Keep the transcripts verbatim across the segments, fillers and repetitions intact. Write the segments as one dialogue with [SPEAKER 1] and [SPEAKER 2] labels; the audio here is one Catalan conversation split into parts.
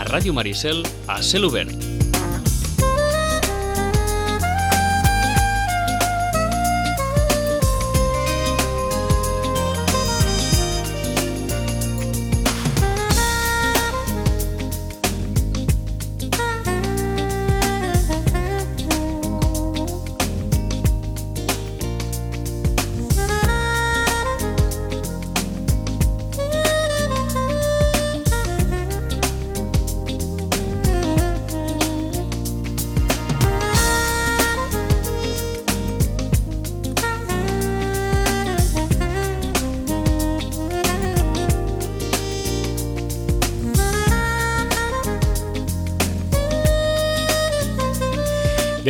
[SPEAKER 1] Ràdio Maricel a cel obert.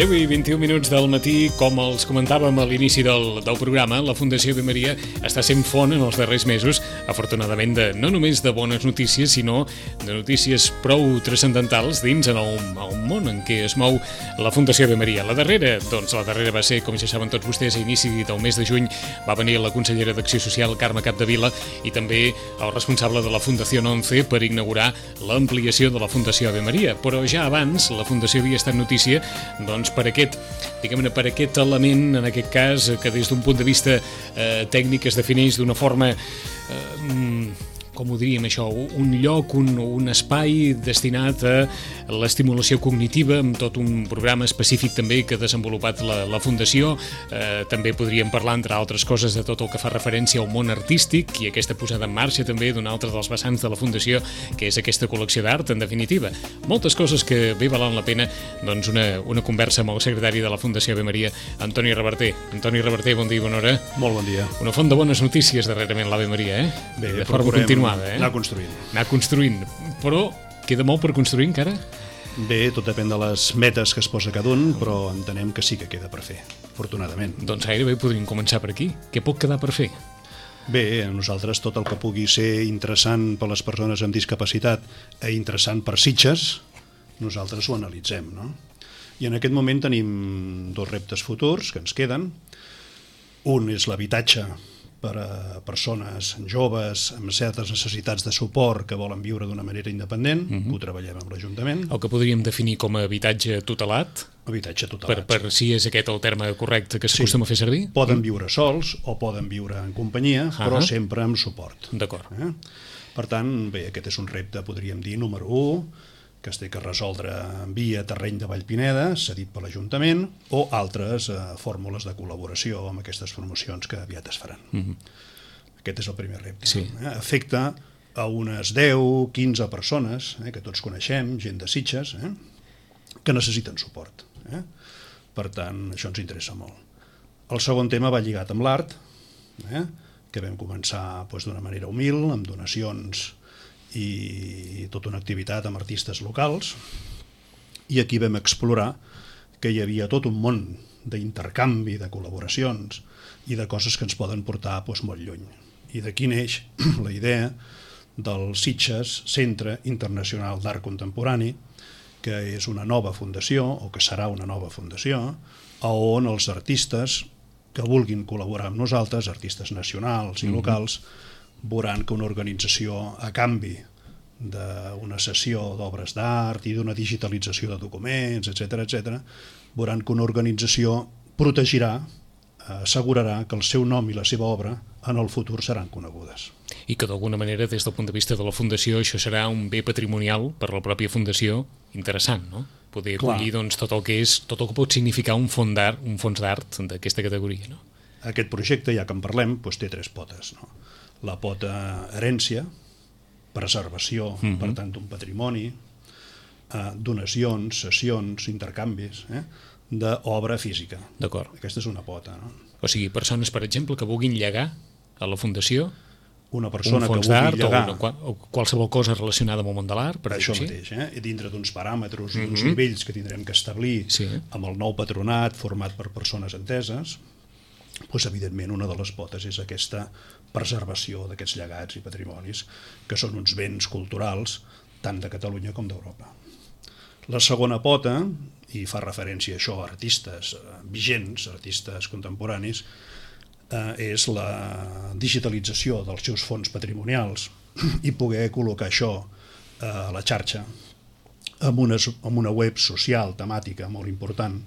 [SPEAKER 2] deu i vint-i-un minuts del matí, com els comentàvem a l'inici del, del programa, la Fundació Ave Maria està sent font en els darrers mesos, afortunadament, de, no només de bones notícies, sinó de notícies prou transcendentals dins en el, el món en què es mou la Fundació Ave Maria. La darrera, doncs la darrera va ser, com ja saben tots vostès, a inici del mes de juny va venir la consellera d'Acció Social, Carme Capdevila, i també el responsable de la Fundació once per inaugurar l'ampliació de la Fundació Ave Maria. Però ja abans la Fundació havia estat notícia, doncs, per aquest, diguem-ne, per aquest element, en aquest cas, que des d'un punt de vista eh, tècnic es defineix d'una forma, eh, com ho diríem això, un lloc, un, un espai destinat a l'estimulació cognitiva, amb tot un programa específic també que ha desenvolupat la, la Fundació. Eh, també podríem parlar, entre altres coses, de tot el que fa referència al món artístic i aquesta posada en marxa també d'un altre dels vessants de la Fundació, que és aquesta col·lecció d'art, en definitiva. Moltes coses que bé valen la pena, doncs, una, una conversa amb el secretari de la Fundació Ave Maria, Antoni Reverter. Antoni Reverter, bon dia i bona hora.
[SPEAKER 3] Molt bon dia.
[SPEAKER 2] Una font de bones notícies darrerament l'Ave Maria, eh?
[SPEAKER 3] Bé,
[SPEAKER 2] de forma continuada. Eh?
[SPEAKER 3] Anar construint.
[SPEAKER 2] Anar construint. Però queda molt per construir encara?
[SPEAKER 3] Bé, tot depèn de les metes que es posa cada un, però entenem que sí que queda per fer, afortunadament.
[SPEAKER 2] Doncs gairebé podríem començar per aquí. Què pot quedar per fer?
[SPEAKER 3] Bé, a nosaltres tot el que pugui ser interessant per les persones amb discapacitat i interessant per Sitges, nosaltres ho analitzem, no? I en aquest moment tenim dos reptes futurs que ens queden. Un és l'habitatge per a persones joves amb certes necessitats de suport que volen viure d'una manera independent. Uh-huh. Ho treballem amb l'Ajuntament.
[SPEAKER 2] El que podríem definir com a habitatge tutelat?
[SPEAKER 3] Habitatge tutelat.
[SPEAKER 2] Per, per si és aquest el terme correcte que s'acostuma sí. a fer servir?
[SPEAKER 3] Poden viure sols o poden viure en companyia, uh-huh. però sempre amb suport.
[SPEAKER 2] D'acord.
[SPEAKER 3] Eh? Per tant, bé, aquest és un repte, podríem dir, número u, que es té que resoldre via terreny de Vallpineda, cedit per l'Ajuntament, o altres eh, fórmules de col·laboració amb aquestes formacions que aviat es faran. Uh-huh. Aquest és el primer repte.
[SPEAKER 2] Sí.
[SPEAKER 3] Eh? Afecta a unes deu, quinze persones, eh, que tots coneixem, gent de Sitges, eh, que necessiten suport. Eh? Per tant, això ens interessa molt. El segon tema va lligat amb l'art, eh, que vam començar doncs, d'una manera humil, amb donacions i tota una activitat amb artistes locals, i aquí vam explorar que hi havia tot un món d'intercanvi, de col·laboracions i de coses que ens poden portar doncs, molt lluny. I d'aquí neix la idea del Sitges Centre Internacional d'Art Contemporani, que és una nova fundació, o que serà una nova fundació, on els artistes que vulguin col·laborar amb nosaltres, artistes nacionals i locals, mm-hmm. veuran que una organització, a canvi d'una sessió d'obres d'art i d'una digitalització de documents, etcètera, etcètera, veuran que una organització protegirà, assegurarà que el seu nom i la seva obra en el futur seran conegudes.
[SPEAKER 2] I que d'alguna manera, des del punt de vista de la Fundació, això serà un bé patrimonial per la pròpia Fundació interessant, no? Poder acollir doncs, tot el que és, tot el que pot significar un fons d'art, un fons d'art d'aquesta categoria, no?
[SPEAKER 3] Aquest projecte, ja que en parlem, doncs té tres potes, no? La pota herència, preservació, uh-huh. per tant, d'un patrimoni, eh, donacions, sessions, intercanvis, eh, d'obra física.
[SPEAKER 2] D'acord.
[SPEAKER 3] Aquesta és una pota, no?
[SPEAKER 2] O sigui, persones, per exemple, que vulguin llegar a la Fundació
[SPEAKER 3] una persona
[SPEAKER 2] un fons
[SPEAKER 3] que vulgui
[SPEAKER 2] llegar
[SPEAKER 3] llegar
[SPEAKER 2] o, una, o qualsevol cosa relacionada amb el món de l'art, per
[SPEAKER 3] això
[SPEAKER 2] així.
[SPEAKER 3] mateix, eh? dintre d'uns paràmetres i
[SPEAKER 2] uh-huh.
[SPEAKER 3] d'uns nivells que tindrem que establir
[SPEAKER 2] sí.
[SPEAKER 3] amb el nou patronat format per persones enteses, doncs, evidentment, una de les potes és aquesta preservació d'aquests llegats i patrimonis, que són uns béns culturals tant de Catalunya com d'Europa. La segona pota, i fa referència a això a artistes vigents, artistes contemporanis, eh, és la digitalització dels seus fons patrimonials i poder col·locar això a la xarxa amb una, amb una web social, temàtica, molt important,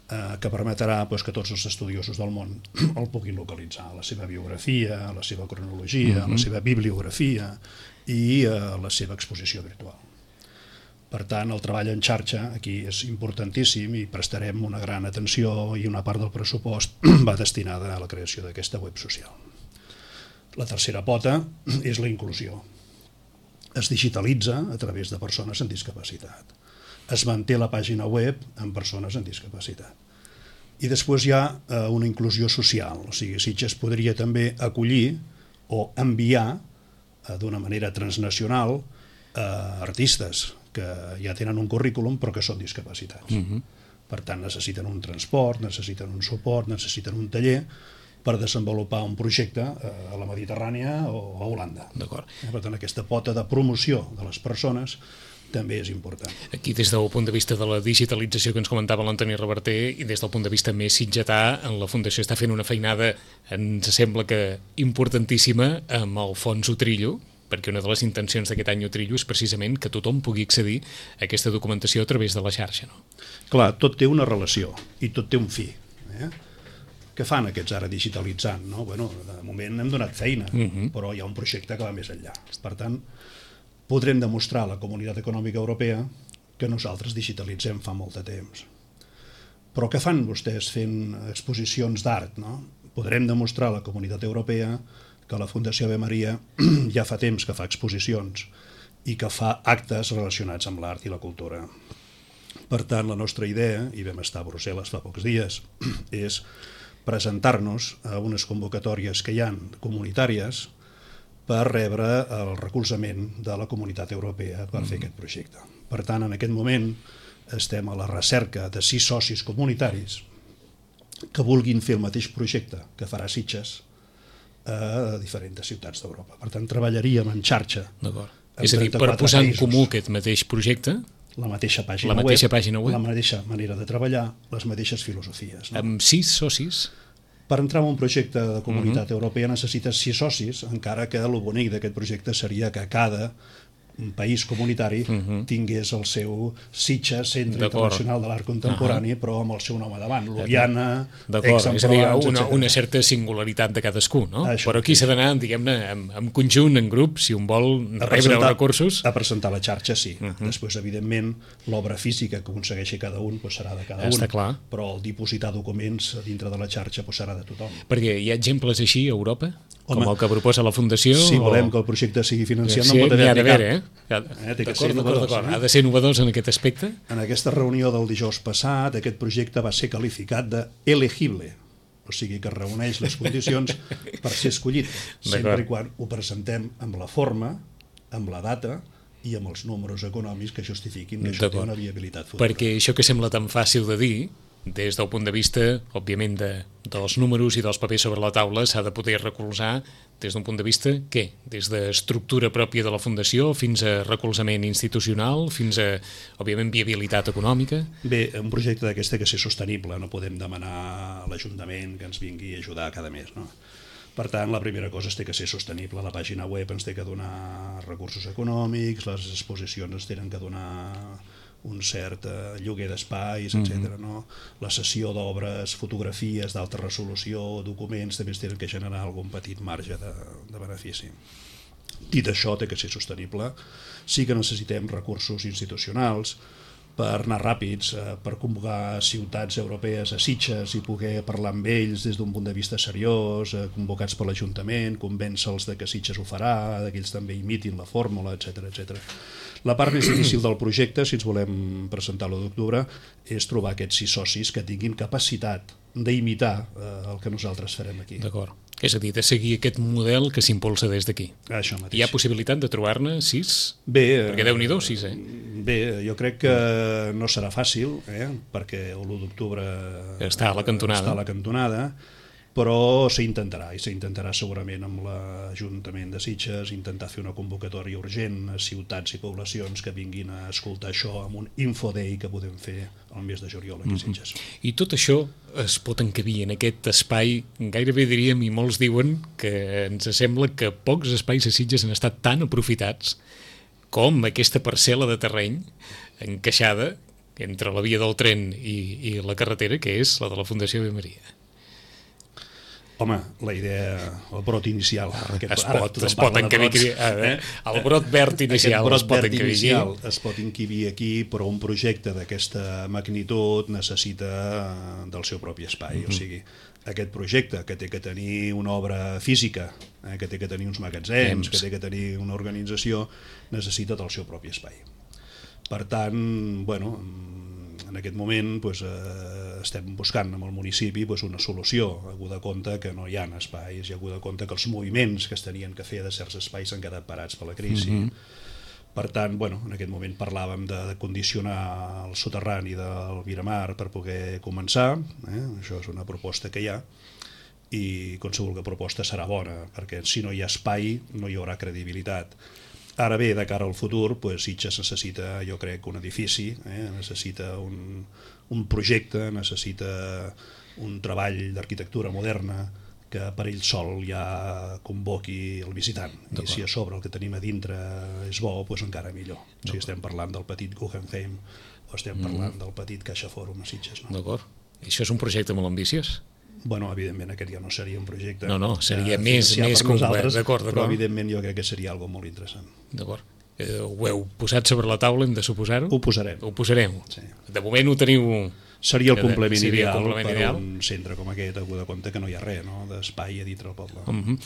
[SPEAKER 3] eh, que permetrà pues, que tots els estudiosos del món el puguin localitzar, la seva biografia, la seva cronologia, mm-hmm. la seva bibliografia i eh, la seva exposició virtual. Per tant, el treball en xarxa aquí és importantíssim i prestarem una gran atenció i una part del pressupost va destinada a la creació d'aquesta web social. La tercera pota és la inclusió. Es digitalitza a través de persones amb discapacitat. Es manté la pàgina web amb persones amb discapacitat. I després hi ha eh, una inclusió social, o sigui, Sitges podria també acollir o enviar eh, d'una manera transnacional eh, artistes que ja tenen un currículum però que són discapacitats. Uh-huh. Per tant, necessiten un transport, necessiten un suport, necessiten un taller per desenvolupar un projecte a la Mediterrània o a Holanda.
[SPEAKER 2] D'acord.
[SPEAKER 3] Per tant, aquesta pota de promoció de les persones també és important.
[SPEAKER 2] Aquí, des del punt de vista de la digitalització que ens comentava l'Antoni Reverter i des del punt de vista més sitgetà, la Fundació està fent una feinada, ens sembla que importantíssima, amb el Fons Utrillo, perquè una de les intencions d'aquest any Utrillo és precisament que tothom pugui accedir a aquesta documentació a través de la xarxa. No?
[SPEAKER 3] Clar, tot té una relació i tot té un fi. Eh? Què fan aquests ara digitalitzant? No? Bueno, de moment hem donat feina, uh-huh. però hi ha un projecte que va més enllà. Per tant, podrem demostrar a la Comunitat Econòmica Europea que nosaltres digitalitzem fa molt de temps. Però què fan vostès fent exposicions d'art? No? Podrem demostrar a la Comunitat Europea que la Fundació Ave Maria ja fa temps que fa exposicions i que fa actes relacionats amb l'art i la cultura. Per tant, la nostra idea, i vam estar a Brussel·les fa pocs dies, és presentar-nos a unes convocatòries que hi ha comunitàries per rebre el recolzament de la Comunitat Europea per fer aquest projecte. Per tant, en aquest moment estem a la recerca de sis socis comunitaris que vulguin fer el mateix projecte que farà Sitges a diferents ciutats d'Europa. Per tant, treballaríem en xarxa.
[SPEAKER 2] D'acord. És a dir, per posar en comú aquest mateix projecte,
[SPEAKER 3] la mateixa pàgina,
[SPEAKER 2] la mateixa
[SPEAKER 3] web,
[SPEAKER 2] pàgina web,
[SPEAKER 3] la mateixa manera de treballar, les mateixes filosofies. No?
[SPEAKER 2] Amb sis socis?
[SPEAKER 3] Per entrar en un projecte de Comunitat uh-huh. Europea necessites sis socis, encara que el bonic d'aquest projecte seria que cada un país comunitari uh-huh. tingués el seu Sitges, Centre Internacional de l'Art Contemporani, uh-huh. però amb el seu nom a davant, Ljubljana, Aix-en-Provence,
[SPEAKER 2] és a dir, una, una certa singularitat de cadascú, no? Això, però aquí s'ha d'anar, diguem-ne, en, en conjunt, en grup, si un vol rebre els recursos.
[SPEAKER 3] A presentar la xarxa, sí. Uh-huh. Després, evidentment, l'obra física que aconsegueixi cada un pues, serà de cada
[SPEAKER 2] Està
[SPEAKER 3] un,
[SPEAKER 2] clar.
[SPEAKER 3] Però el dipositar documents dintre de la xarxa pues, serà de tothom.
[SPEAKER 2] Perquè hi ha exemples així a Europa? Home, com el que proposa la Fundació?
[SPEAKER 3] Si volem
[SPEAKER 2] o...
[SPEAKER 3] que el projecte sigui financiat,
[SPEAKER 2] sí,
[SPEAKER 3] no pot haver-hi
[SPEAKER 2] cap.
[SPEAKER 3] Eh?
[SPEAKER 2] Eh? D'acord, d'acord, d'acord. Ha de ser innovadors en aquest aspecte?
[SPEAKER 3] En aquesta reunió del dijous passat, aquest projecte va ser qualificat de elegible, o sigui que reuneix les condicions per ser escollit, sempre i quan ho presentem amb la forma, amb la data i amb els números econòmics que justifiquin que això té una viabilitat futura.
[SPEAKER 2] Perquè això que sembla tan fàcil de dir, des del punt de vista, òbviament, de, dels números i dels papers sobre la taula, s'ha de poder recolzar des d'un punt de vista, què? Des d'estructura pròpia de la Fundació fins a recolzament institucional, fins a, òbviament, viabilitat econòmica?
[SPEAKER 3] Bé, un projecte d'aquest té que ser sostenible, no podem demanar a l'Ajuntament que ens vingui a ajudar cada mes, no? Per tant, la primera cosa és té que ser sostenible, la pàgina web ens té que donar recursos econòmics, les exposicions ens tenen que donar un cert eh, lloguer d'espais, etcètera. Mm-hmm. No? La cessió d'obres, fotografies d'alta resolució, documents, també es tenen que generar algun petit marge de, de benefici. Dit això, té que ser sostenible. Sí que necessitem recursos institucionals per anar ràpids, eh, per convocar ciutats europees a Sitges i poder parlar amb ells des d'un punt de vista seriós, eh, convocats per l'Ajuntament, convèncer-los de que Sitges ho farà, que ells també imitin la fórmula, etcètera, etcètera. La part més difícil del projecte, si ens volem presentar l'u d'octubre, és trobar aquests sis socis que tinguin capacitat d'imitar eh, el que nosaltres farem aquí.
[SPEAKER 2] D'acord. És a dir, de seguir aquest model que s'impulsa des d'aquí.
[SPEAKER 3] Això mateix.
[SPEAKER 2] Hi ha possibilitat de trobar-ne sis?
[SPEAKER 3] Bé,
[SPEAKER 2] perquè Déu-n'hi-do, sis, eh?
[SPEAKER 3] Bé, jo crec que no serà fàcil, eh? perquè l'u d'octubre
[SPEAKER 2] està a la cantonada.
[SPEAKER 3] Està a la cantonada, però s'intentarà, i s'intentarà segurament amb l'Ajuntament de Sitges, intentar fer una convocatòria urgent a ciutats i poblacions que vinguin a escoltar això amb un infoday que podem fer al mes de juliol aquí a Sitges.
[SPEAKER 2] Mm-hmm. I tot això es pot encabir en aquest espai, gairebé diríem, i molts diuen que ens sembla que pocs espais a Sitges han estat tan aprofitats com aquesta parcel·la de terreny encaixada entre la via del tren i, i la carretera, que és la de la Fundació Ave Maria.
[SPEAKER 3] Home, la idea, el brot inicial...
[SPEAKER 2] Aquest, es pot, es pot encabir... Eh? El brot verd inicial
[SPEAKER 3] brot
[SPEAKER 2] es pot
[SPEAKER 3] verd
[SPEAKER 2] encabir
[SPEAKER 3] inicial es pot encabir aquí, però un projecte d'aquesta magnitud necessita del seu propi espai. Mm-hmm. O sigui, aquest projecte que té que tenir una obra física, eh, que té que tenir uns magatzems, que té que tenir una organització, necessita del seu propi espai. Per tant, bueno, en aquest moment pues, eh, estem buscant amb el municipi pues, una solució, hagut de compte que no hi ha espais, i hagut de compte que els moviments que es tenien que fer de certs espais s'han quedat parats per la crisi. Mm-hmm. Per tant, bueno, en aquest moment parlàvem de, de condicionar el soterrani del Miramar per poder començar, eh? Això és una proposta que hi ha, i qualsevol proposta serà bona, perquè si no hi ha espai no hi haurà credibilitat. Ara bé, de cara al futur, pues, Sitges necessita, jo crec, un edifici, eh? necessita un, un projecte, necessita un treball d'arquitectura moderna que per ell sol ja convoqui el visitant. I si a sobre el que tenim a dintre és bo, pues encara millor. O sigui, estem parlant del petit Guggenheim o estem parlant mm. del petit Caixa Fòrum a Sitges. No?
[SPEAKER 2] D'acord. I això és un projecte molt ambiciós?
[SPEAKER 3] Bueno, evidentment aquest ja no seria un projecte...
[SPEAKER 2] No, no, seria ja, més, més complet, d'acord, d'acord.
[SPEAKER 3] Però evidentment jo crec que seria algo molt interessant.
[SPEAKER 2] D'acord. Eh, ho heu posat sobre la taula, hem de suposar-ho?
[SPEAKER 3] Ho posarem.
[SPEAKER 2] Ho posarem.
[SPEAKER 3] Sí.
[SPEAKER 2] De moment ho teniu...
[SPEAKER 3] Seria el complement
[SPEAKER 2] seria
[SPEAKER 3] ideal
[SPEAKER 2] el complement
[SPEAKER 3] per
[SPEAKER 2] ideal.
[SPEAKER 3] Un centre com aquest, hagut de compte que no hi ha res, no?, d'espai a dintre del poble.
[SPEAKER 2] Uh-huh.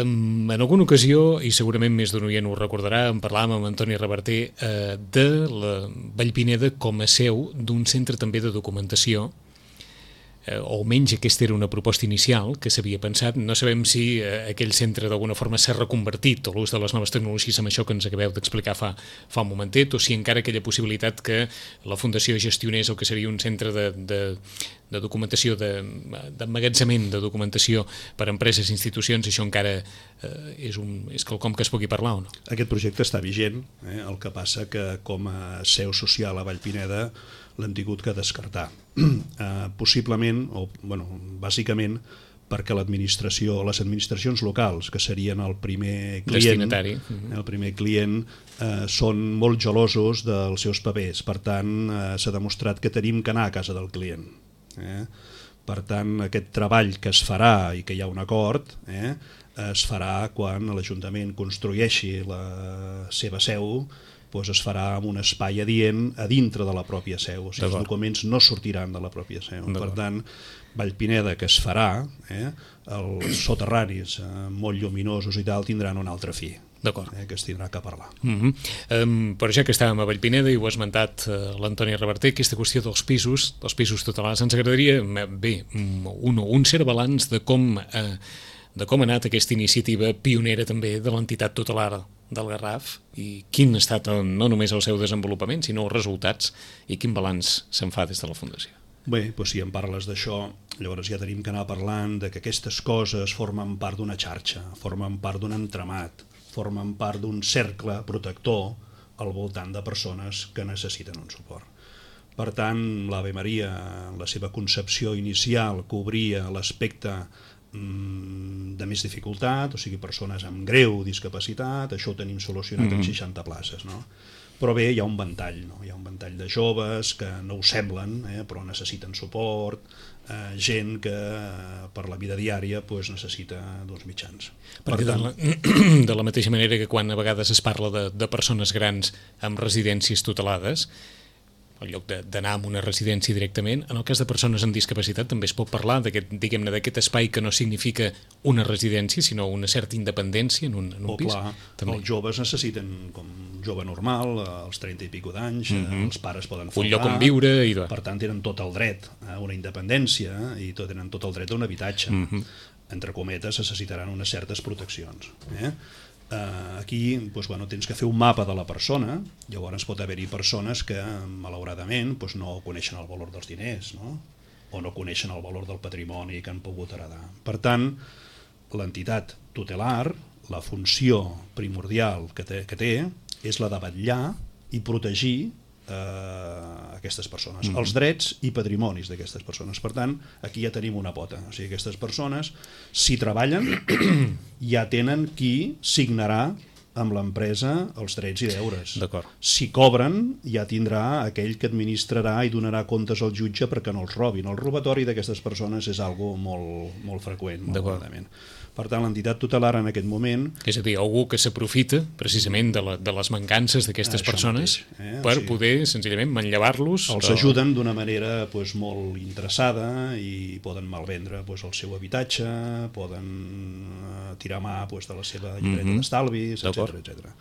[SPEAKER 2] um, en alguna ocasió, i segurament més d'un oient ho recordarà, en parlàvem amb Antoni Reverter uh, de la Vallpineda com a seu d'un centre també de documentació, eh, o almenys aquesta era una proposta inicial que s'havia pensat. No sabem si eh, aquell centre d'alguna forma s'ha reconvertit a l'ús de les noves tecnologies amb això que ens acabeu d'explicar fa, fa un momentet, o si encara aquella possibilitat que la Fundació gestionés el que seria un centre de, de, de documentació, d'emmagatzement de, de documentació per a empreses i institucions, això encara eh, és, un, és quelcom que es pugui parlar o no?
[SPEAKER 3] Aquest projecte està vigent, eh? El que passa que com a seu social a Vallpineda l'hem tingut que descartar. Eh, possiblement, o bueno, bàsicament, perquè l'administració, les administracions locals, que serien el primer client,
[SPEAKER 2] destinatari, uh-huh.
[SPEAKER 3] el primer client, eh, són molt gelosos dels seus papers. Per tant, eh, s'ha demostrat que tenim que anar a casa del client. Eh? Per tant, aquest treball que es farà i que hi ha un acord, eh, es farà quan l'Ajuntament construeixi la seva seu, doncs es farà en un espai adient a dintre de la pròpia seu, o sigui, els documents no sortiran de la pròpia seu. Per tant, Vallpineda, que es farà, eh, els soterranis eh, molt lluminosos i tal, tindran un altre fi, eh, que es tindrà que parlar.
[SPEAKER 2] Uh-huh. um, però ja que estàvem a Vallpineda i ho ha esmentat uh, l'Antoni Reverter, aquesta qüestió dels pisos, dels pisos tutelats, ens agradaria, bé, un, un cert balanç de com, uh, de com ha anat aquesta iniciativa pionera també de l'entitat tutelar del Garraf, i quin ha estat no només el seu desenvolupament, sinó els resultats, i quin balanç se'n fa des de la Fundació.
[SPEAKER 3] Bé, doncs si em parles d'això, llavors ja tenim que anar parlant de que aquestes coses formen part d'una xarxa, formen part d'un entramat, formen part d'un cercle protector al voltant de persones que necessiten un suport. Per tant, l'Ave Maria, en la seva concepció inicial, cobria l'aspecte de més dificultat, o sigui, persones amb greu discapacitat, això ho tenim solucionat mm-hmm. en seixanta places, no? Però bé, hi ha un ventall, no? Hi ha un ventall de joves que no ho semblen, eh, però necessiten suport, eh, gent que eh, per la vida diària pues, necessita dos mitjans.
[SPEAKER 2] Perquè per tant, de, la, de la mateixa manera que quan a vegades es parla de, de persones grans amb residències tutelades, en lloc d'anar a una residència directament, en el cas de persones amb discapacitat també es pot parlar d'aquest, diguem-ne, d'aquest espai que no significa una residència, sinó una certa independència en un, en un
[SPEAKER 3] oh,
[SPEAKER 2] pis.
[SPEAKER 3] Clar,
[SPEAKER 2] també.
[SPEAKER 3] Els joves necessiten, com un jove normal, als trenta i pico d'anys, mm-hmm. els pares poden faltar,
[SPEAKER 2] un lloc on viure, i
[SPEAKER 3] per tant tenen tot el dret a una independència i tot, tenen tot el dret a un habitatge. Mm-hmm. Entre cometes, necessitaran unes certes proteccions. Eh? Uh, aquí doncs, bueno, tens que fer un mapa de la persona, llavors pot haver-hi persones que malauradament doncs, no coneixen el valor dels diners, no? O no coneixen el valor del patrimoni que han pogut heredar. Per tant, l'entitat tutelar, la funció primordial que té, que té és la de vetllar i protegir eh, aquestes persones, mm-hmm. els drets i patrimonis d'aquestes persones. Per tant, aquí ja tenim una pota, o sigui, aquestes persones, si treballen, ja tenen qui signarà amb l'empresa els drets i deures.
[SPEAKER 2] D'acord.
[SPEAKER 3] Si cobren, ja tindrà aquell que administrarà i donarà comptes al jutge perquè no els robin. El robatori d'aquestes persones és algo molt, molt freqüent. Molt per tant, l'entitat tutelar en aquest moment...
[SPEAKER 2] És a dir, algú que s'aprofita precisament de, la, de les mancances d'aquestes persones mateix, eh? per o sigui, poder, senzillament, manllevar-los...
[SPEAKER 3] Els o... ajuden d'una manera pues, molt interessada i poden malvendre pues, el seu habitatge, poden uh, tirar mà pues, de la seva llibreta mm-hmm. d'estalvis, etcètera etcètera.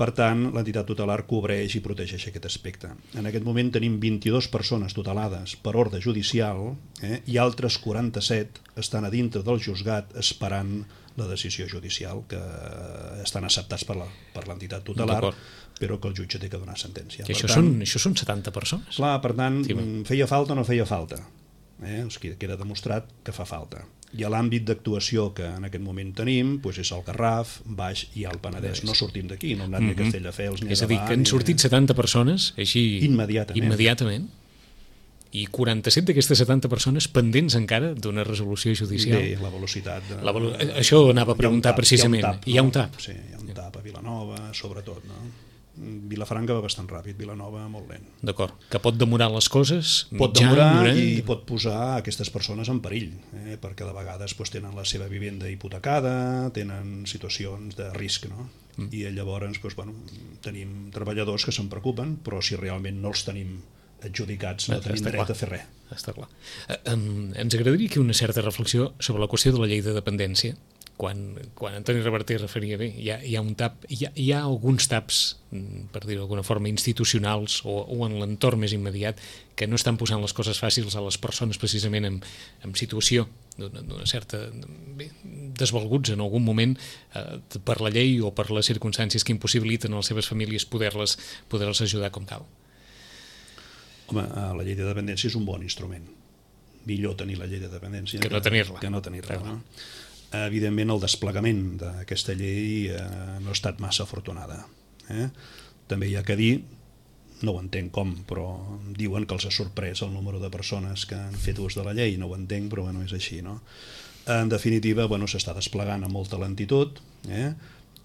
[SPEAKER 3] Per tant, l'entitat tutelar cobreix i protegeix aquest aspecte. En aquest moment tenim vint-i-dues persones tutelades per ordre judicial eh, i altres quaranta-set estan a dintre del juzgat esperant la decisió judicial, que estan acceptats per l'entitat tutelar, però que el jutge té que donar sentència.
[SPEAKER 2] I això, tant, són, això són setanta persones?
[SPEAKER 3] Clar, per tant, sí, feia falta o no feia falta? Eh? O sigui, queda demostrat que fa falta. I a l'àmbit d'actuació que en aquest moment tenim doncs és el Garraf, Baix i el Penedès. No sortim d'aquí, no hem anat ni a Castelldefels ni a
[SPEAKER 2] És a dir, que han sortit setanta persones així
[SPEAKER 3] immediatament.
[SPEAKER 2] immediatament i quaranta-set d'aquestes setanta persones pendents encara d'una resolució judicial.
[SPEAKER 3] Bé, la velocitat... De...
[SPEAKER 2] La velo... Això anava a preguntar
[SPEAKER 3] tap,
[SPEAKER 2] precisament.
[SPEAKER 3] Hi ha un tap,
[SPEAKER 2] no?
[SPEAKER 3] Sí, hi ha un tap a Vilanova, sobretot, no? Vilafranca va bastant ràpid, Vilanova molt lent.
[SPEAKER 2] D'acord, que pot demorar les coses
[SPEAKER 3] pot demorar durant... i pot posar aquestes persones en perill, eh? perquè de vegades pues, tenen la seva vivenda hipotecada, tenen situacions de risc, no? Mm. I llavors pues, bueno, tenim treballadors que se'n preocupen, però si realment no els tenim adjudicats no tenim dret clar. a fer res.
[SPEAKER 2] Està clar. Eh, um, ens agradaria que una certa reflexió sobre la qüestió de la llei de dependència. Quan, quan Antoni Reverter referia bé, hi ha, hi ha un tap, hi ha, hi ha alguns taps, per dir-ho d'alguna forma, institucionals o, o en l'entorn més immediat que no estan posant les coses fàcils a les persones precisament en, en situació d'una certa bé, desvalguts en algun moment eh, per la llei o per les circumstàncies que impossibiliten a les seves famílies poder-les poder-les ajudar com cal.
[SPEAKER 3] Home, la llei de dependència és un bon instrument. Millor tenir la llei de dependència
[SPEAKER 2] que no tenir-la.
[SPEAKER 3] Que no tenir-la, no? Evidentment el desplegament d'aquesta llei eh, no ha estat massa afortunada. Eh? També hi ha que dir, no ho entenc com, però diuen que els ha sorprès el número de persones que han fet ús de la llei, no ho entenc, però bueno, és així, no? En definitiva, bueno, s'està desplegant amb molta lentitud eh?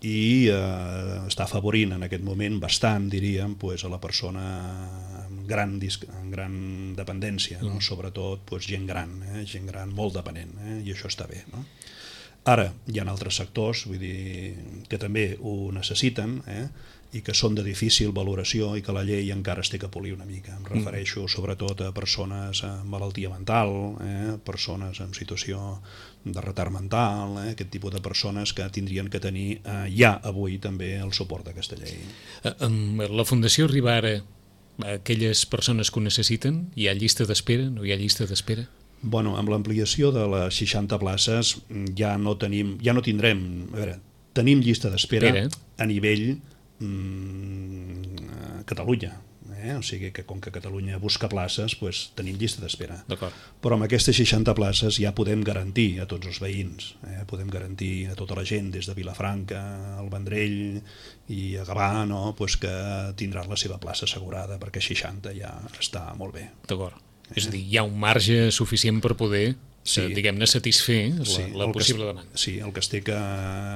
[SPEAKER 3] i eh, està afavorint en aquest moment bastant, diríem, pues, a la persona amb gran, amb gran dependència, no? Mm. Sobretot pues, gent gran, eh? gent gran molt dependent, eh? i això està bé, no? Ara, hi ha altres sectors vull dir, que també ho necessiten eh? i que són de difícil valoració i que la llei encara es té que polir una mica. Em refereixo sobretot a persones amb malaltia mental, eh? persones en situació de retard mental, eh? aquest tipus de persones que tindrien que tenir eh, ja avui també el suport d'aquesta llei.
[SPEAKER 2] La Fundació arriba ara a aquelles persones que ho necessiten? Hi ha llista d'espera? No hi ha llista d'espera?
[SPEAKER 3] Bueno, amb l'ampliació de les seixanta places ja no tenim, ja no tindrem, a veure, tenim llista d'espera a nivell mm, Catalunya, eh? O sigui que com que Catalunya busca places, pues, tenim llista d'espera. Però amb aquestes seixanta places ja podem garantir a tots els veïns, eh? podem garantir a tota la gent des de Vilafranca, al Vendrell i a Gavà, no? pues que tindran la seva plaça assegurada perquè seixanta ja està molt bé.
[SPEAKER 2] D'acord. És a dir, hi ha un marge suficient per poder, sí. eh, diguem-ne, satisfer la,
[SPEAKER 3] sí,
[SPEAKER 2] la possible
[SPEAKER 3] es,
[SPEAKER 2] demanda.
[SPEAKER 3] Sí, el que es té que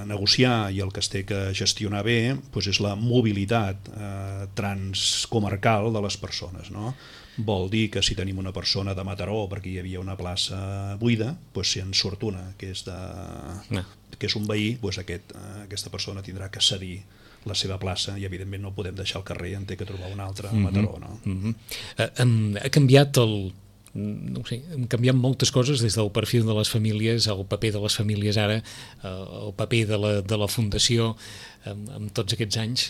[SPEAKER 3] negociar i el que es té que gestionar bé doncs és la mobilitat eh, transcomarcal de les persones, no? Vol dir que si tenim una persona de Mataró perquè hi havia una plaça buida, doncs si en surt una que és, de, no. que és un veí, doncs aquest, aquesta persona tindrà que cedir la seva plaça i evidentment no podem deixar al carrer, en té que trobar una altra a Mataró, no?
[SPEAKER 2] Mm-hmm. Mm-hmm. Ha canviat el... no sé, han canviat moltes coses des del perfil de les famílies, el paper de les famílies ara, el paper de la, de la Fundació en, en tots aquests anys.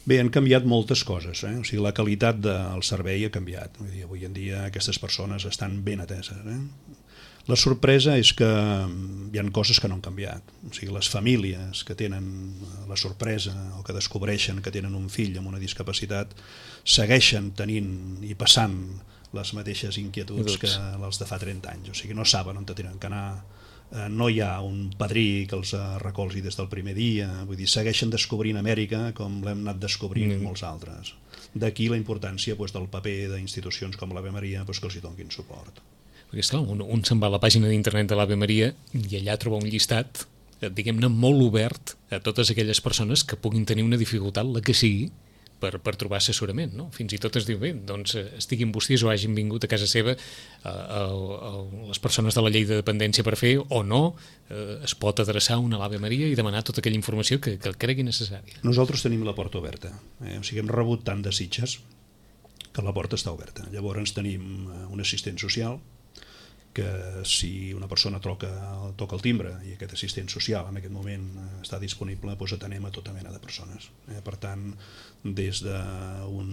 [SPEAKER 3] Bé, han canviat moltes coses, eh? O sigui, la qualitat del servei ha canviat. Vull dir, avui en dia aquestes persones estan ben ateses, eh? La sorpresa és que hi ha coses que no han canviat. O sigui, les famílies que tenen la sorpresa o que descobreixen que tenen un fill amb una discapacitat segueixen tenint i passant les mateixes inquietuds que les de fa trenta anys. O sigui, no saben on tenen que anar, no hi ha un padrí que els recolzi des del primer dia, vull dir, segueixen descobrint Amèrica com l'hem anat descobrint mm. molts altres. D'aquí la importància pues, del paper d'institucions com l'Ave Maria pues, que els hi donin suport.
[SPEAKER 2] Perquè, esclar, un, un se'n va a la pàgina d'internet de l'Ave Maria i allà troba un llistat diguem-ne, molt obert a totes aquelles persones que puguin tenir una dificultat, la que sigui, per, per trobar assessorament, no? Fins i tot es diu, bé, doncs estiguin vostès o hagin vingut a casa seva a, a, a les persones de la llei de dependència per fer o no, eh, es pot adreçar a una l'Ave Maria i demanar tota aquella informació que, que cregui necessària.
[SPEAKER 3] Nosaltres tenim la porta oberta, eh? O sigui, hem rebut tant de Sitges que la porta està oberta. Llavors tenim un assistent social que si una persona toca, toca el timbre i aquest assistent social en aquest moment està disponible, doncs atenem a tota mena de persones. Eh? Per tant, des d'un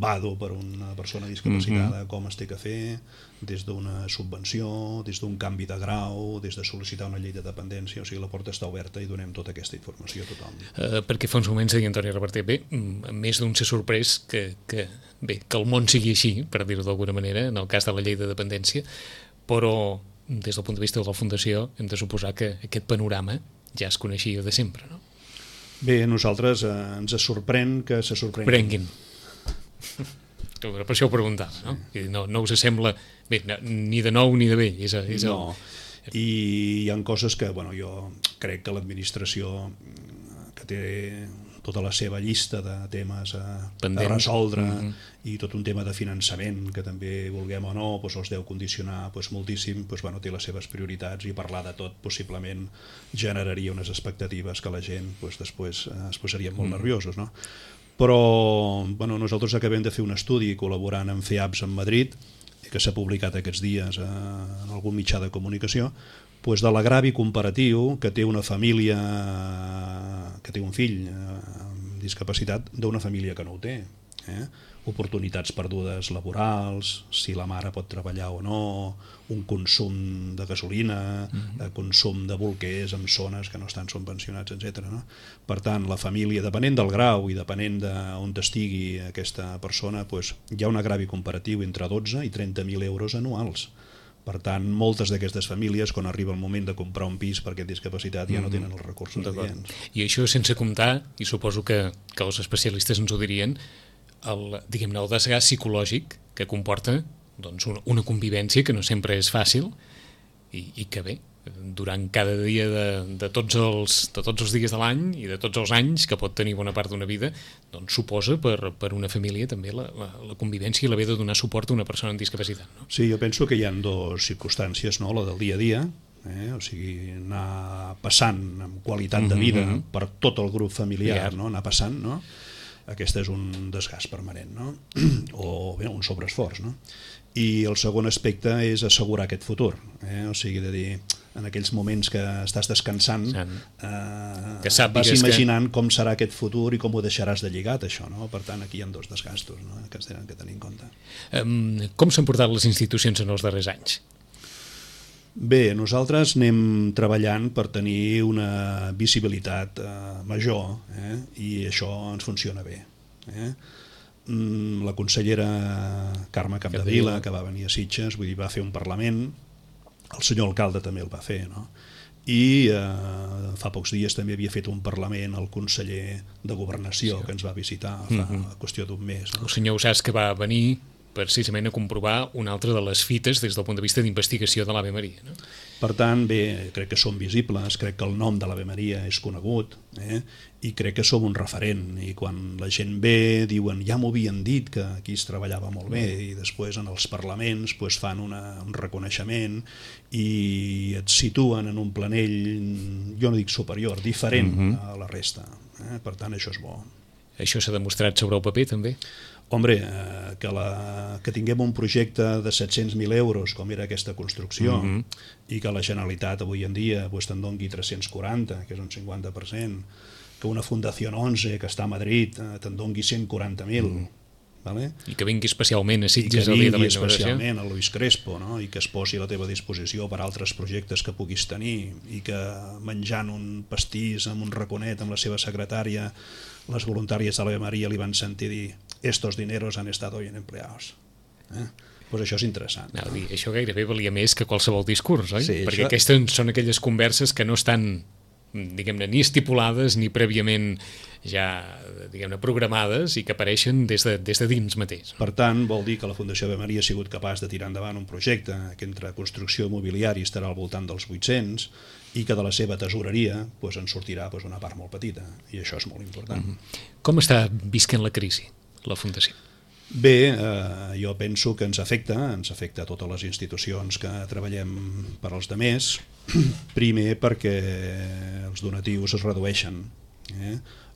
[SPEAKER 3] vado per una persona discapacitada, mm-hmm. com es té que fer, des d'una subvenció, des d'un canvi de grau, des de sol·licitar una llei de dependència, o sigui, la porta està oberta i donem tota aquesta informació a tothom.
[SPEAKER 2] Uh, perquè fa uns moments deia Antoni Reverter, bé, més d'un s'ha sorprès que, que, bé, que el món sigui així, per dir-ho d'alguna manera, en el cas de la llei de dependència, però des del punt de vista de la Fundació hem de suposar que aquest panorama ja es coneixia de sempre, no?
[SPEAKER 3] Bé, a nosaltres eh, ens sorprèn que se sorprenguin.
[SPEAKER 2] Prenguin. Per això ho preguntava, no? Sí. No, no us sembla bé, ni de nou ni de vell. És, és el...
[SPEAKER 3] No, i hi ha coses que, bueno, jo crec que l'administració, que té tota la seva llista de temes a, a resoldre, mm-hmm. i tot un tema de finançament que també, vulguem o no, doncs els deu condicionar doncs, moltíssim, doncs, bueno, té les seves prioritats, i parlar de tot possiblement generaria unes expectatives que la gent doncs, després eh, es posarien molt mm. nerviosos, no? Però bueno, nosaltres acabem de fer un estudi col·laborant amb FEAPS en Madrid, que s'ha publicat aquests dies en algun mitjà de comunicació, doncs de l'agravi comparatiu que té una família, que té un fill amb discapacitat, d'una família que no ho té. Eh? Oportunitats perdudes laborals, si la mare pot treballar o no, un consum de gasolina, mm-hmm. consum de bolquers en zones que no estan subvencionats, etcètera. No? Per tant, la família, depenent del grau i depenent d'on estigui aquesta persona, doncs, hi ha un agravi comparatiu entre dotze i trenta mil euros anuals. Per tant, moltes d'aquestes famílies, quan arriba el moment de comprar un pis per aquesta discapacitat, ja no tenen els recursos adients.
[SPEAKER 2] I això sense comptar, i suposo que, que els especialistes ens ho dirien, el, diguem-ne, el desgast psicològic que comporta doncs, una, una convivència que no sempre és fàcil i, i que bé, durant cada dia de, de, tots els, de tots els dies de l'any i de tots els anys que pot tenir bona part d'una vida, doncs suposa per, per una família també la, la, la convivència i l'haver de donar suport a una persona amb discapacitat. No?
[SPEAKER 3] Sí, jo penso que hi ha dues circumstàncies, no? La del dia a dia, eh? O sigui, anar passant amb qualitat de vida mm-hmm. per tot el grup familiar, no? Anar passant, no? Aquest és un desgast permanent, no? O bé, un sobreesforç, no? I el segon aspecte és assegurar aquest futur, eh? O sigui, de dir, en aquells moments que estàs descansant, eh,
[SPEAKER 2] que
[SPEAKER 3] vas imaginant que... com serà aquest futur i com ho deixaràs de lligat, això, no? Per tant, aquí hi ha dos desgastos, no? Que es tenen que tenir en compte.
[SPEAKER 2] Um, com s'han portat les institucions en els darrers anys?
[SPEAKER 3] Bé, nosaltres anem treballant per tenir una visibilitat eh, major, eh? I això ens funciona bé. Eh? La consellera Carme Capdevila, que va venir a Sitges, vull dir, va fer un parlament, el senyor alcalde també el va fer, no? I eh, fa pocs dies també havia fet un parlament el conseller de Governació, sí. Que ens va visitar fa mm-hmm. qüestió d'un mes. No?
[SPEAKER 2] El senyor Usàs, que va venir precisament a comprovar una altra de les fites des del punt de vista d'investigació de l'Ave Maria. No?
[SPEAKER 3] Per tant, bé, crec que som visibles, crec que el nom de l'Ave Maria és conegut, eh? I crec que som un referent, i quan la gent ve diuen, ja m'ho havien dit que aquí es treballava molt bé, i després en els parlaments pues, fan una, un reconeixement i et situen en un planell, jo no dic superior, diferent mm-hmm. a la resta. Eh? Per tant, això és bo.
[SPEAKER 2] Això s'ha demostrat sobre el paper, també?
[SPEAKER 3] Hombre, eh, que, la, que tinguem un projecte de set-cents mil euros, com era aquesta construcció, mm-hmm. i que la Generalitat avui en dia pues, te'n doni tres-cents quaranta, que és un cinquanta per cent, que una Fundació onze, que està a Madrid, eh, te'n doni cent quaranta mil, mm. vale?
[SPEAKER 2] I que vingui especialment a Sitges
[SPEAKER 3] el dia de la inauguració. I que vingui especialment a Luis Crespo, no? I que es posi a la teva disposició per altres projectes que puguis tenir, i que menjant un pastís amb un raconet amb la seva secretària, les voluntàries de l'Ave Maria li van sentir dir estos dineros han estado bien empleados. Eh? Pues això és interessant.
[SPEAKER 2] No, dir, això gairebé valia més que qualsevol discurs, oi?
[SPEAKER 3] Sí,
[SPEAKER 2] perquè
[SPEAKER 3] això...
[SPEAKER 2] aquestes són aquelles converses que no estan diguem-ne, ni estipulades ni prèviament ja, diguem-ne, programades i que apareixen des de, des de dins mateix.
[SPEAKER 3] Per tant, vol dir que la Fundació Ave Maria ha sigut capaç de tirar endavant un projecte que entre construcció i mobiliari estarà al voltant dels vuit-cents i que de la seva tesoreria pues, en sortirà pues, una part molt petita, i això és molt important.
[SPEAKER 2] Mm-hmm. Com està visquent la crisi, la Fundació?
[SPEAKER 3] Bé, eh, jo penso que ens afecta, ens afecta a totes les institucions que treballem per als demés, primer perquè els donatius es redueixen. Eh?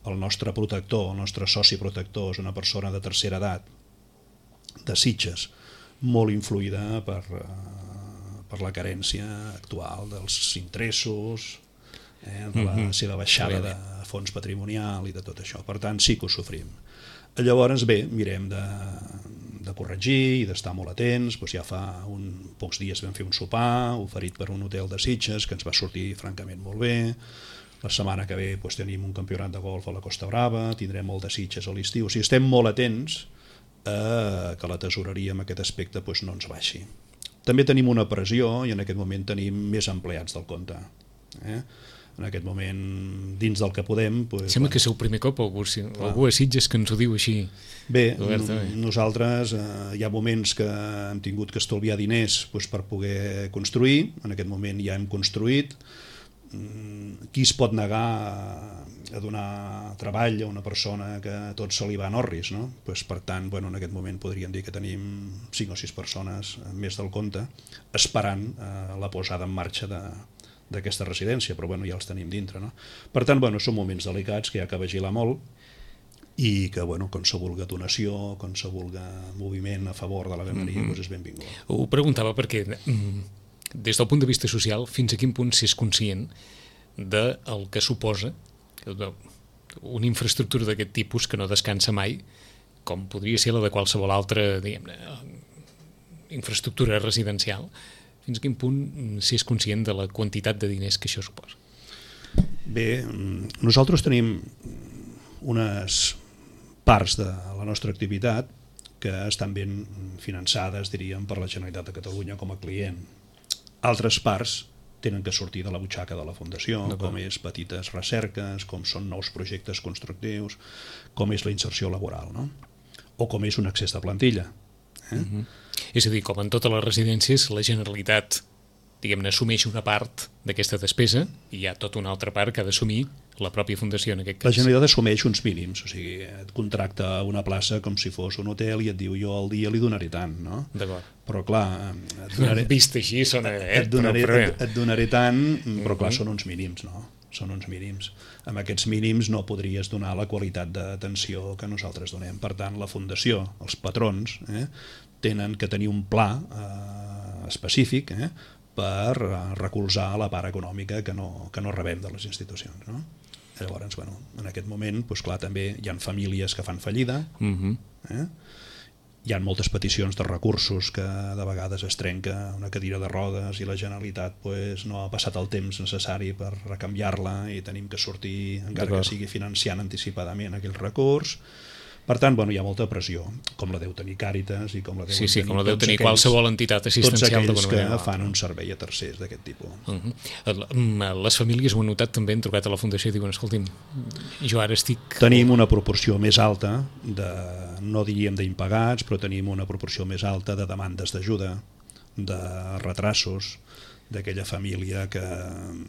[SPEAKER 3] El nostre protector, el nostre soci protector és una persona de tercera edat, de Sitges, molt influïda per, eh, per la carència actual dels interessos, eh, de la mm-hmm. seva baixada de fons patrimonial i de tot això. Per tant, sí que ho sofrim. Llavors, bé, mirem de, de corregir i d'estar molt atents. Doncs ja fa un, pocs dies vam fer un sopar oferit per un hotel de Sitges que ens va sortir francament molt bé. La setmana que ve doncs, tenim un campionat de golf a la Costa Brava, tindrem molt de Sitges a l'estiu. O sigui, estem molt atents a que la tesoreria en aquest aspecte doncs, no ens baixi. També tenim una pressió i en aquest moment tenim més empleats del compte. Eh? En aquest moment, dins del que podem... Doncs,
[SPEAKER 2] Sembla que és el primer cop algú, algú a Sitges que ens ho diu així.
[SPEAKER 3] Bé, nosaltres eh, hi ha moments que hem tingut que estalviar diners doncs, per poder construir. En aquest moment ja hem construït. Qui es pot negar a donar treball a una persona que tot se li va en orris, no? Pues, per tant, bueno, en aquest moment podríem dir que tenim cinc o sis persones més del compte esperant eh, la posada en marxa de d'aquesta residència, però bueno, ja els tenim dintre. No? Per tant, bueno, són moments delicats que hi ha que vigilar molt i que, bueno, quan se vulga donació, quan se vulga moviment a favor de l'Ave Maria, mm-hmm. doncs és benvingut.
[SPEAKER 2] Ho preguntava perquè, des del punt de vista social, fins a quin punt s'és conscient del que suposa una infraestructura d'aquest tipus que no descansa mai, com podria ser la de qualsevol altra, diguem-ne, infraestructura residencial, fins a quin punt s'és conscient de la quantitat de diners que això suposa?
[SPEAKER 3] Bé, nosaltres tenim unes parts de la nostra activitat que estan ben finançades, diríem, per la Generalitat de Catalunya com a client. Altres parts tenen que sortir de la butxaca de la Fundació, com és petites recerques, com són nous projectes constructius, com és la inserció laboral, no? O com és un accés de plantilla. Eh?
[SPEAKER 2] Mm-hmm. És a dir, com en totes les residències, la Generalitat, diguem-ne, assumeix una part d'aquesta despesa i hi ha tota una altra part que ha d'assumir la pròpia Fundació en aquest cas.
[SPEAKER 3] La Generalitat assumeix uns mínims, o sigui, et contracta una plaça com si fos un hotel i et diu jo al dia li donaré tant, no?
[SPEAKER 2] D'acord.
[SPEAKER 3] Però clar, et donaré,
[SPEAKER 2] vist així sona, eh?
[SPEAKER 3] et, donaré,
[SPEAKER 2] però, però...
[SPEAKER 3] et, et donaré tant, però clar, són uns mínims, no? Són uns mínims. Amb aquests mínims no podries donar la qualitat d'atenció que nosaltres donem. Per tant, la Fundació, els patrons, eh, tenen que tenir un pla eh, específic eh, per recolzar la part econòmica que no, que no rebem de les institucions. No? Llavors, bueno, en aquest moment, doncs, clar, també hi ha famílies que fan fallida, uh-huh. eh? Hi ha moltes peticions de recursos que de vegades es trenca una cadira de rodes i la Generalitat pues, no ha passat el temps necessari per recanviar-la i tenim que sortir, encara que sigui financiant anticipadament aquell recurs. Per tant, bueno, hi ha molta pressió, com la deu tenir Càritas i com la deu
[SPEAKER 2] sí, sí,
[SPEAKER 3] tenir,
[SPEAKER 2] com la deu tenir aquells, qualsevol entitat assistencial.
[SPEAKER 3] Tots aquells que fan un servei a tercers d'aquest tipus.
[SPEAKER 2] Uh-huh. Les famílies ho han notat també, han trucat a la Fundació i diuen, escolti'm, jo ara estic...
[SPEAKER 3] Tenim una proporció més alta, de, no diríem d'impagats, però tenim una proporció més alta de demandes d'ajuda, de retrasos, d'aquella família que,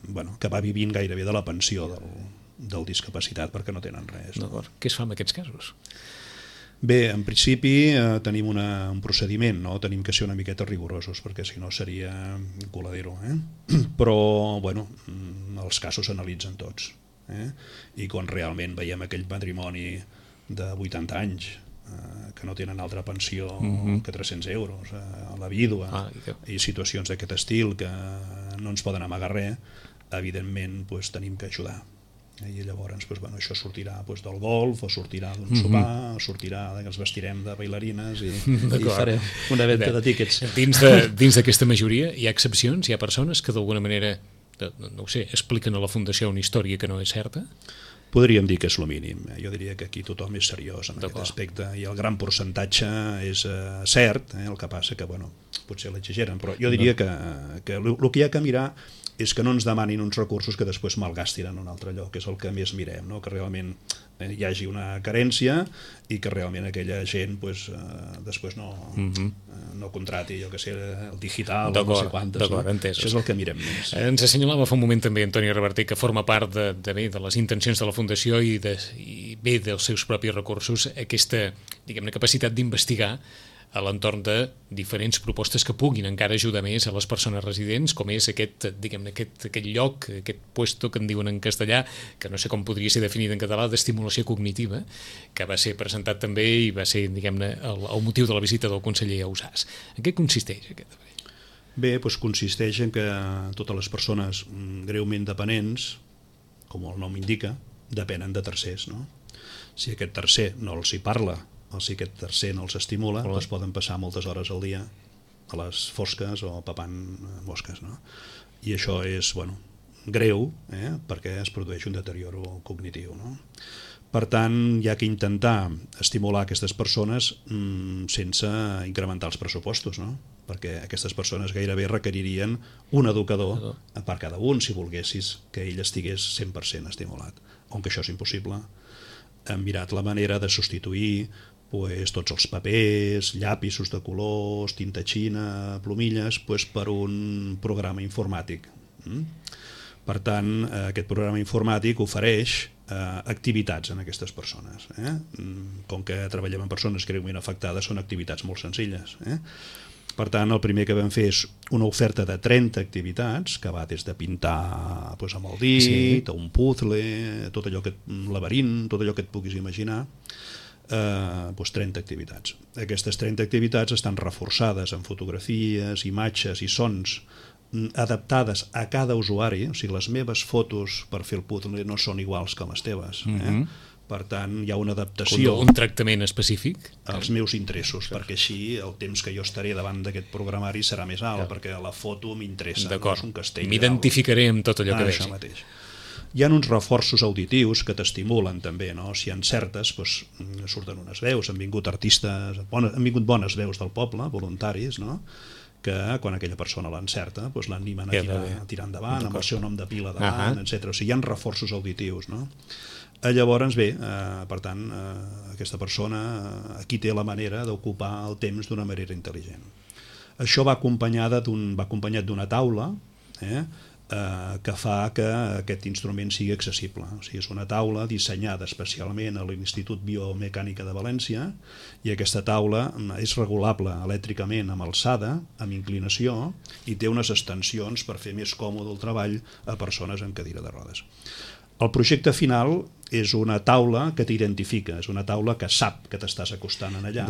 [SPEAKER 3] bueno, que va vivint gairebé de la pensió del... del discapacitat perquè no tenen res. No?
[SPEAKER 2] Què es fa en aquests casos?
[SPEAKER 3] Bé, en principi eh, tenim una, un procediment, no? Tenim que ser una miqueta rigorosos perquè si no seria un coladero. Eh? Però bueno, els casos s'analitzen tots. Eh? I quan realment veiem aquell matrimoni de vuitanta anys eh, que no tenen altra pensió mm-hmm. que tres-cents euros eh, a la vídua ah, i, i situacions d'aquest estil que no ens poden amagar res, evidentment pues, tenim que ajudar. I llavors pues, bueno, això sortirà pues, del golf o sortirà d'un mm-hmm. sopar, sortirà que ens vestirem de bailarines i, i farem una venda de tíquets.
[SPEAKER 2] Dins de, dins d'aquesta majoria hi ha excepcions? Hi ha persones que d'alguna manera no ho sé, expliquen a la Fundació una història que no és certa?
[SPEAKER 3] Podríem dir que és el mínim. Jo diria que aquí tothom és seriós en aquest aspecte i el gran percentatge és uh, cert, eh? El que passa que bueno, potser l'exageren, però jo diria que, que el, el que hi ha que mirar és que no ens demanin uns recursos que després malgastin en un altre lloc, que és el que més mirem, no? Que realment hi hagi una carència i que realment aquella gent pues, eh, després no, uh-huh. eh, no contrati, jo que sé, el digital o no sé quantes.
[SPEAKER 2] D'acord,
[SPEAKER 3] no?
[SPEAKER 2] entesos.
[SPEAKER 3] Això és el que mirem més.
[SPEAKER 2] Ens assenyalava fa un moment també Antoni Reverter, que forma part de, de, bé, de les intencions de la Fundació i, de, i bé dels seus propis recursos, aquesta, diguem-ne, capacitat d'investigar a l'entorn de diferents propostes que puguin encara ajudar més a les persones residents, com és aquest, diguem-ne, aquest, aquest lloc, aquest puesto que en diuen en castellà, que no sé com podria ser definit en català, d'estimulació cognitiva, que va ser presentat també i va ser, diguem-ne, el, el motiu de la visita del conseller Ausàs. En què consisteix aquest?
[SPEAKER 3] Bé, doncs consisteix en que totes les persones greument dependents, com el nom indica, depenen de tercers, no? Si aquest tercer no els hi parla, o si aquest tercer no els estimula, doncs poden passar moltes hores al dia a les fosques o papant mosques, no? I això és, bueno, greu, eh? Perquè es produeix un deterioro cognitiu, no? Per tant, hi ha que intentar estimular aquestes persones mmm, sense incrementar els pressupostos, no? Perquè aquestes persones gairebé requeririen un educador per cada un, si volguessis que ell estigués cent per cent estimulat. On que això és impossible, hem mirat la manera de substituir pues, tots els papers, llapisos de colors, tinta xina, plomilles, pues, per un programa informàtic. Mm? Per tant, aquest programa informàtic ofereix eh, activitats en aquestes persones. Eh? Com que treballem amb persones greument afectades, són activitats molt senzilles. Eh? Per tant, el primer que vam fer és una oferta de trenta activitats, que va des de pintar pues, amb el dit, sí. a un puzzle, tot allò que, un laberint, tot allò que et puguis imaginar, eh, pues, trenta activitats. Aquestes trenta activitats estan reforçades amb fotografies, imatges i sons adaptades a cada usuari, o sigui, les meves fotos per fer el puzzle no són iguals que les teves, eh? Mm-hmm. Per tant, hi ha una adaptació...
[SPEAKER 2] Un tractament específic?
[SPEAKER 3] Als meus interessos, perquè així el temps que jo estaré davant d'aquest programari serà més alt, ja. Perquè la foto m'interessa, no és un castell.
[SPEAKER 2] M'identificaré amb tot allò
[SPEAKER 3] ah,
[SPEAKER 2] que vegi.
[SPEAKER 3] Això mateix. Hi ha uns reforços auditius que t'estimulen també, no? Si hi ha certes, doncs, surten unes veus, han vingut artistes, bones, han vingut bones veus del poble, voluntaris, no? Que quan aquella persona l'encerta doncs l'animen a tirar, a tirar endavant, amb el seu nom de pila davant, uh-huh. etcètera. O sigui, hi ha reforços auditius, no? Llavors, bé, eh, per tant, eh, aquesta persona eh, aquí té la manera d'ocupar el temps d'una manera intel·ligent. Això va acompanyada d'un, va acompanyat d'una taula eh, eh, que fa que aquest instrument sigui accessible. O sigui, és una taula dissenyada especialment a l'Institut Biomecànica de València i aquesta taula és regulable elèctricament amb alçada, amb inclinació i té unes extensions per fer més còmode el treball a persones en cadira de rodes. El projecte final és una taula que t'identifica, és una taula que sap que t'estàs acostant en allà.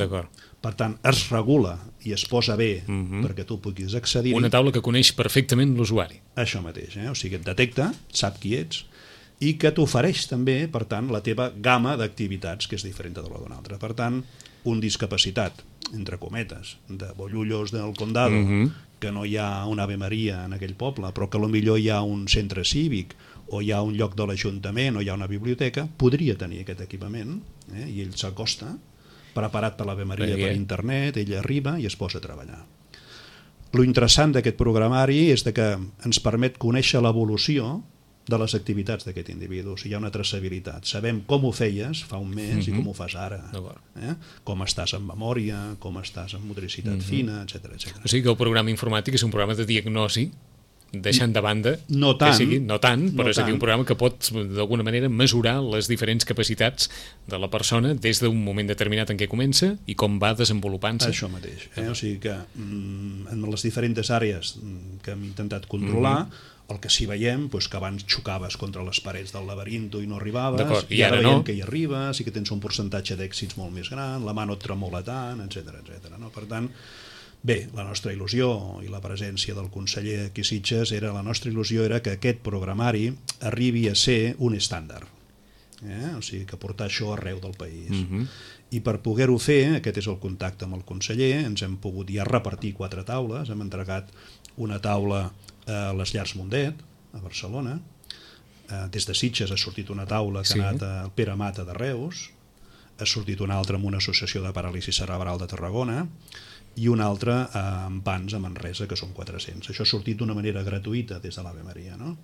[SPEAKER 3] Per tant, es regula i es posa bé uh-huh. perquè tu puguis accedir-hi.
[SPEAKER 2] Una taula que coneix perfectament l'usuari.
[SPEAKER 3] Això mateix, eh? O sigui, et detecta, sap qui ets i que t'ofereix també, per tant, la teva gamma d'activitats, que és diferent de la d'una altra. Per tant, un discapacitat, entre cometes, de Bollullos del Condado, uh-huh. que no hi ha una Ave Maria en aquell poble, però que potser hi ha un centre cívic o hi ha un lloc de l'Ajuntament o hi ha una biblioteca, podria tenir aquest equipament eh? i ell s'acosta, preparat per l'Ave Maria per internet, ell arriba i es posa a treballar. Lo interessant d'aquest programari és que ens permet conèixer l'evolució de les activitats d'aquest individu. O sigui, hi ha una traçabilitat. Sabem com ho feies fa un mes mm-hmm. i com ho fas ara. Eh? Com estàs en memòria, com estàs en motricitat mm-hmm. fina, etcètera, etcètera.
[SPEAKER 2] O sigui que el programa informàtic és un programa de diagnosi, deixant de banda
[SPEAKER 3] no tant,
[SPEAKER 2] que sigui, no tant però
[SPEAKER 3] no
[SPEAKER 2] és a dir, un programa que pot d'alguna manera mesurar les diferents capacitats de la persona des d'un moment determinat en què comença i com va desenvolupant-se.
[SPEAKER 3] Això mateix, eh? O sigui que mm, en les diferents àrees que hem intentat controlar mm-hmm. el que sí veiem, doncs que abans xocaves contra les parets del laberinto i no arribaves,
[SPEAKER 2] i,
[SPEAKER 3] i ara,
[SPEAKER 2] ara
[SPEAKER 3] veiem
[SPEAKER 2] no.
[SPEAKER 3] que hi arribes i que tens un percentatge d'èxits molt més gran, la mà no et tremola tant, etcètera, etcètera. No? Per tant, bé, la nostra il·lusió i la presència del conseller aquí a Sitges era, la nostra il·lusió era que aquest programari arribi a ser un estàndard, eh? O sigui, que portar això arreu del país. Mm-hmm. I per poder-ho fer, aquest és el contacte amb el conseller, ens hem pogut ja repartir quatre taules, hem entregat una taula a les Llars Mundet, a Barcelona, des de Sitges ha sortit una taula que sí. ha anat al Pere Mata de Reus, ha sortit un altre amb una associació de paràlisi cerebral de Tarragona i un altre amb Pans a Manresa, que són quatre-cents. Això ha sortit d'una manera gratuïta des de l'Ave Maria, no?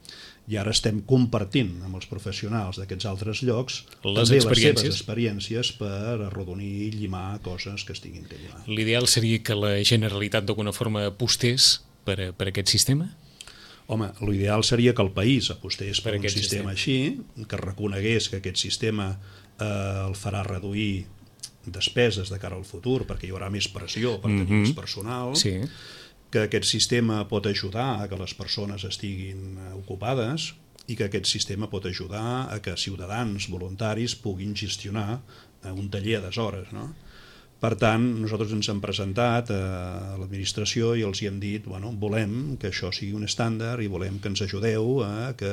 [SPEAKER 3] I ara estem compartint amb els professionals d'aquests altres llocs
[SPEAKER 2] les
[SPEAKER 3] també
[SPEAKER 2] experiències.
[SPEAKER 3] les seves experiències per arrodonir i llimar coses que estiguin que llimar.
[SPEAKER 2] L'ideal seria que la Generalitat d'alguna forma apostés per, per aquest sistema?
[SPEAKER 3] Home, l'ideal seria que el país apostés per, per un
[SPEAKER 2] sistema
[SPEAKER 3] sistema, sistema així, que reconegués que aquest sistema eh, el farà reduir despeses de cara al futur, perquè hi haurà més pressió per tenir mm-hmm. més personal,
[SPEAKER 2] sí.
[SPEAKER 3] que aquest sistema pot ajudar a que les persones estiguin ocupades i que aquest sistema pot ajudar a que ciutadans voluntaris puguin gestionar un taller a deshores, no? Per tant, nosaltres ens hem presentat a l'administració i els hi hem dit, bueno, volem que això sigui un estàndard i volem que ens ajudeu a que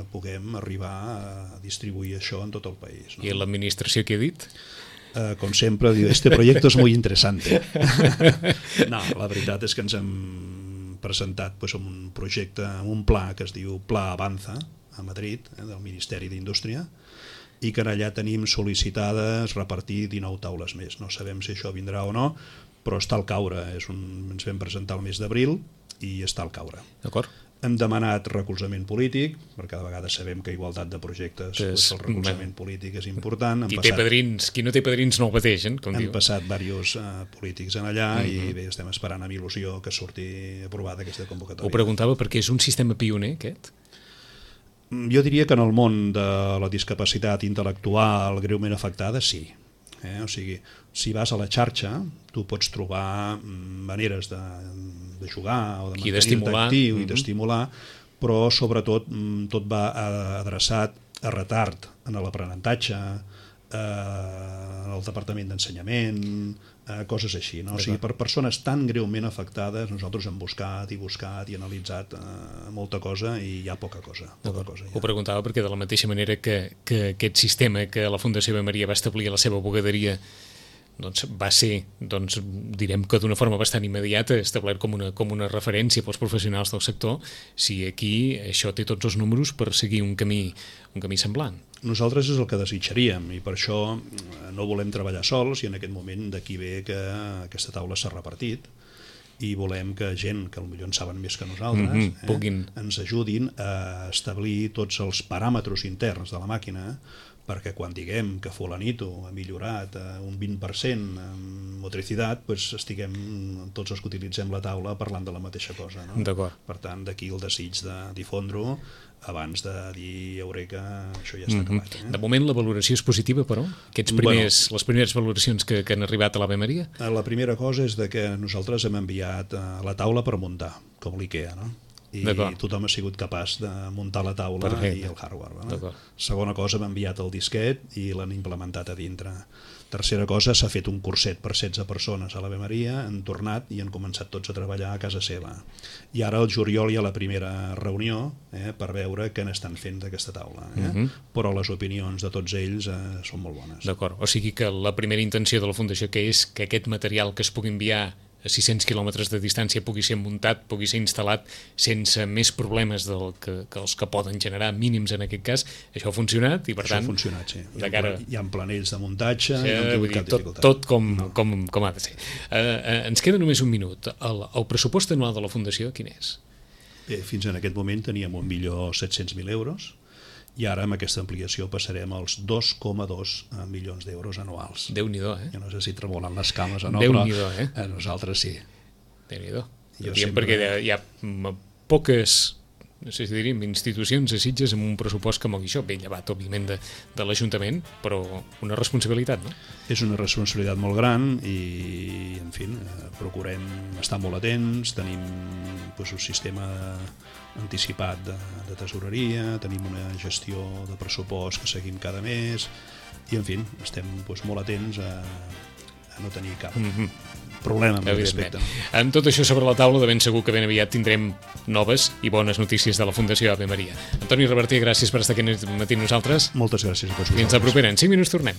[SPEAKER 3] puguem arribar a distribuir això en tot el país, no?
[SPEAKER 2] I l'administració què ha dit?
[SPEAKER 3] Uh, com sempre, diu, este proyecto es muy interesante. No, la veritat és que ens hem presentat pues, un projecte, un pla que es diu Pla Avanza, a Madrid, eh, del Ministeri d'Indústria, i que allà tenim sol·licitades repartir dinou taules més. No sabem si això vindrà o no, però està al caure. És un... Ens vam presentar el mes d'abril i està al caure.
[SPEAKER 2] D'acord.
[SPEAKER 3] Hem demanat recolzament polític, perquè cada vegada sabem que igualtat de projectes,
[SPEAKER 2] és,
[SPEAKER 3] pues, el recolzament polític és important.
[SPEAKER 2] Qui,
[SPEAKER 3] passat,
[SPEAKER 2] té padrins, qui no té padrins no el pateixen, com
[SPEAKER 3] hem
[SPEAKER 2] diu.
[SPEAKER 3] passat diversos uh, polítics en allà uh-huh. i bé, estem esperant amb il·lusió que surti aprovada aquesta convocatòria.
[SPEAKER 2] Ho preguntava perquè és un sistema pioner, aquest?
[SPEAKER 3] Jo diria que en el món de la discapacitat intel·lectual greument afectada, sí. Eh? O sigui, si vas a la xarxa, tu pots trobar maneres de, de jugar o de mantenir-te actiu i d'estimular, però sobretot tot va adreçat a retard en l'aprenentatge, al departament d'ensenyament, coses així, no? O sigui, per persones tan greument afectades nosaltres hem buscat i buscat i analitzat molta cosa i hi ha poca cosa. Poca cosa
[SPEAKER 2] Ho preguntava perquè de la mateixa manera que, que aquest sistema que la Fundació Ave Maria va establir a la seva bugaderia doncs va ser, doncs, direm que d'una forma bastant immediata, establert com una, com una referència pels professionals del sector, si aquí això té tots els números per seguir un camí, un camí semblant.
[SPEAKER 3] Nosaltres és el que desitjaríem i per això no volem treballar sols i en aquest moment d'aquí ve que aquesta taula s'ha repartit i volem que gent que potser en saben més que nosaltres
[SPEAKER 2] mm-hmm,
[SPEAKER 3] eh,
[SPEAKER 2] puguin...
[SPEAKER 3] ens ajudin a establir tots els paràmetres interns de la màquina perquè quan diguem que fulanito ha millorat un vint per cent en motricitat, doncs estiguem tots els que utilitzem la taula parlant de la mateixa cosa, no?
[SPEAKER 2] D'acord.
[SPEAKER 3] Per tant, d'aquí el desig de difondre-ho abans de dir eureka, això ja està mm-hmm. acabat. Eh?
[SPEAKER 2] De moment la valoració és positiva, però? Aquests primers, bueno, les primeres valoracions que, que han arribat a l'Ave Maria?
[SPEAKER 3] La primera cosa és de que nosaltres hem enviat la taula per muntar, com l'IKEA, no? I tothom ha sigut capaç de muntar la taula Perfecte. I el hardware. No? Segona cosa, hem enviat el disquet i l'han implementat a dintre. Tercera cosa, s'ha fet un curset per setze persones a l'Ave Maria, han tornat i han començat tots a treballar a casa seva. I ara al juliol hi ha la primera reunió eh, per veure què n'estan fent d'aquesta taula. Eh? Uh-huh. Però les opinions de tots ells eh, són molt bones.
[SPEAKER 2] D'acord, o sigui que la primera intenció de la Fundació que és que aquest material que es pugui enviar a sis-cents quilòmetres de distància pugui ser muntat, pugui ser instal·lat sense més problemes del que, que els que poden generar mínims en aquest cas, això ha funcionat i per
[SPEAKER 3] això
[SPEAKER 2] tant...
[SPEAKER 3] ha funcionat, sí. Hi ha,
[SPEAKER 2] cara...
[SPEAKER 3] hi ha planells de muntatge,
[SPEAKER 2] sí,
[SPEAKER 3] no
[SPEAKER 2] vull dir, tot, tot com, no. com, com ha de ser. Uh, uh, ens queda només un minut. El, el pressupost anual de la Fundació, quin és?
[SPEAKER 3] Bé, fins en aquest moment teníem un milió set-cents mil euros, i ara amb aquesta ampliació passarem als dos coma dos milions d'euros anuals.
[SPEAKER 2] Déu-n'hi-do, eh?
[SPEAKER 3] Jo no sé si tremolen les cames o no,
[SPEAKER 2] Déu-n'hi-do,
[SPEAKER 3] però
[SPEAKER 2] eh?
[SPEAKER 3] a nosaltres sí.
[SPEAKER 2] Déu-n'hi-do. Sempre... perquè hi ha poques, no sé si diríem, institucions a Sitges amb un pressupost que mogui això, ben llevat, òbviament, de, de l'Ajuntament, però una responsabilitat, no? És
[SPEAKER 3] una responsabilitat molt gran i, en fi, procurem estar molt atents, tenim doncs, un sistema anticipat de, de tesoreria, tenim una gestió de pressupost que seguim cada mes i, en fi, estem doncs, molt atents a, a no tenir cap mm-hmm. problema amb aquest aspecte.
[SPEAKER 2] Amb tot això sobre la taula, de ben segur que ben aviat tindrem noves i bones notícies de la Fundació Ave Maria. Antoni Reverter, gràcies per estar aquí aquest matí amb nosaltres.
[SPEAKER 3] Moltes gràcies a tots vosaltres.
[SPEAKER 2] Fins la propera. En cinc minuts tornem.